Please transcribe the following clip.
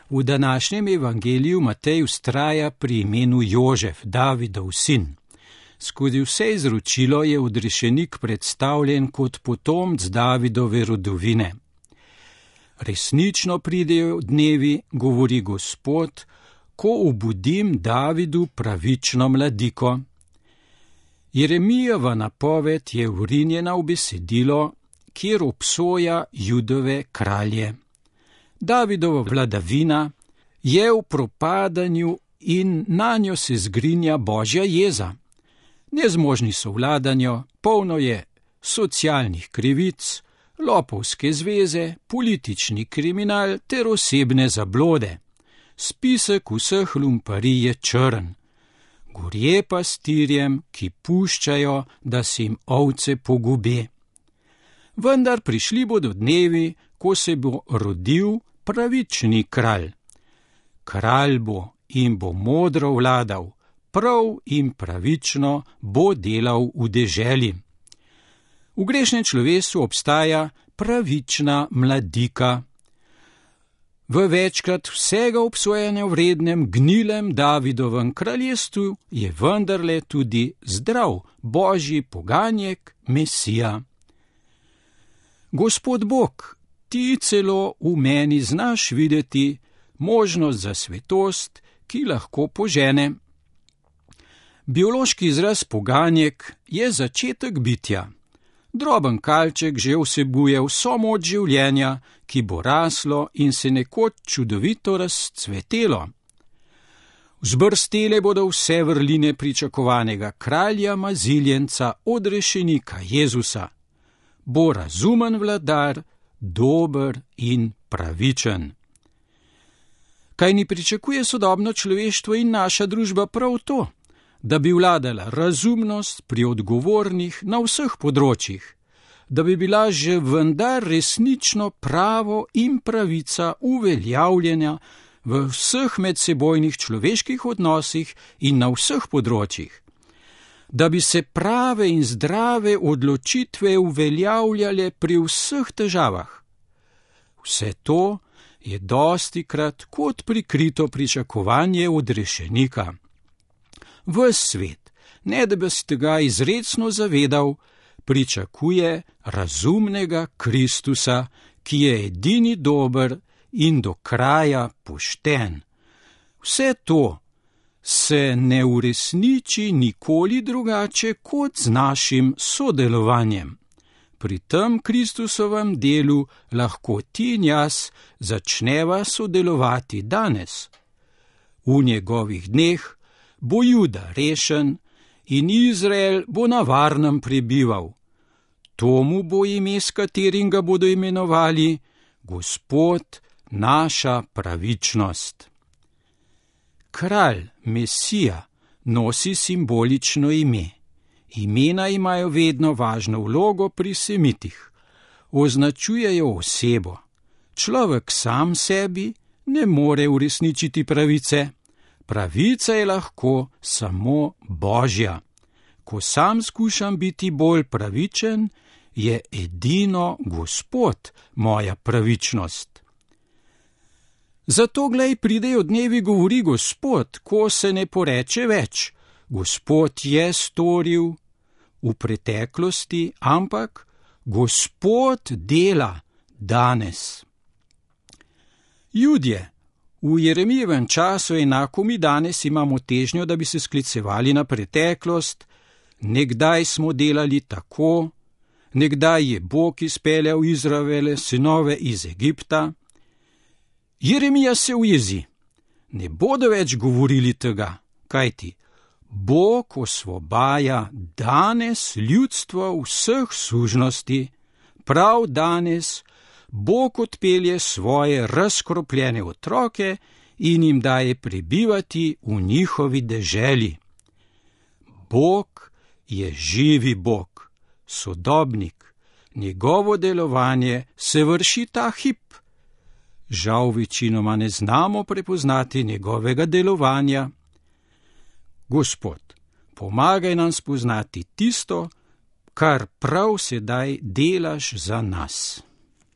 V današnjem evangeliju Matej vztraja pri imenu Jožef, Davidov sin. Skozi vse izročilo je odrešenik predstavljen kot potomec Davidove rodovine. Resnično pridejo dnevi, govori Gospod, ko obudim Davidu pravično mladiko. Jeremijeva napoved je vrinjena v besedilo, kjer obsoja Judove kralje. Davidova vladavina je v propadanju in nanjo se zgrinja Božja jeza. Nezmožni so vladanju, polno je socialnih krivic, lopovske zveze, politični kriminal ter osebne zablode. Spisek vseh lumparij je črn. Gorje pastirjem, ki puščajo, da se jim ovce pogube. Vendar prišli bodo dnevi, ko se bo rodil pravični kralj. Kralj bo in bo modro vladal, prav in pravično bo delal v deželi. V grešnem človeštvu obstaja pravična mladika. V večkrat vsega obsojanja vrednem gnilem Davidovem kraljestvu je vendarle tudi zdrav Božji poganjek, Mesija. Gospod Bog, ti celo v meni znaš videti možnost za svetost, ki lahko požene. Biološki izraz poganjek je začetek bitja. Droben kalček že vsebuje vso moč življenja, ki bo raslo in se nekoč čudovito razcvetelo. Vzbrstele bodo vse vrline pričakovanega kralja maziljenca, odrešenika Jezusa. Bo razumen vladar, dober in pravičen. Kaj ni pričakuje sodobno človeštvo in naša družba prav to? Da bi vladala razumnost pri odgovornih na vseh področjih, da bi bila že vendar resnično pravo in pravica uveljavljena v vseh medsebojnih človeških odnosih in na vseh področjih, da bi se prave in zdrave odločitve uveljavljale pri vseh težavah. Vse to je dostikrat kot prikrito pričakovanje odrešenika. Ves svet, ne da bi se tega izrecno zavedal, pričakuje razumnega Kristusa, ki je edini dober in do kraja pošten. Vse to se ne uresniči nikoli drugače kot z našim sodelovanjem. Pri tem Kristusovem delu lahko ti in jaz začneva sodelovati danes. V njegovih dneh bo Juda rešen in Izrael bo na varnem prebival. Tomu bo ime, s katerim ga bodo imenovali Gospod, naša pravičnost. Kralj, Mesija, nosi simbolično ime. Imena imajo vedno važno vlogo pri semitih. Označujejo osebo. Človek sam sebi ne more uresničiti pravice. Pravica je lahko samo Božja. Ko sam skušam biti bolj pravičen, je edino Gospod moja pravičnost. Zato, glej, pridejo dnevi, govori Gospod, ko se ne poreče več. Gospod je storil v preteklosti, ampak Gospod dela danes. Judje, v Jeremijevem času enako mi danes imamo težnjo, da bi se sklicevali na preteklost. Nekdaj smo delali tako, nekdaj je Bog izpeljal Izraele sinove iz Egipta. Jeremija se ujezi. Ne bodo več govorili tega, kajti Bog osvobaja danes ljudstvo vseh sužnosti, prav danes Bog odpelje svoje razkropljene otroke in jim daje prebivati v njihovi deželi. Bog je živi Bog, sodobnik, njegovo delovanje se vrši ta hip. Žal večinoma ne znamo prepoznati njegovega delovanja. Gospod, pomagaj nam spoznati tisto, kar prav sedaj delaš za nas.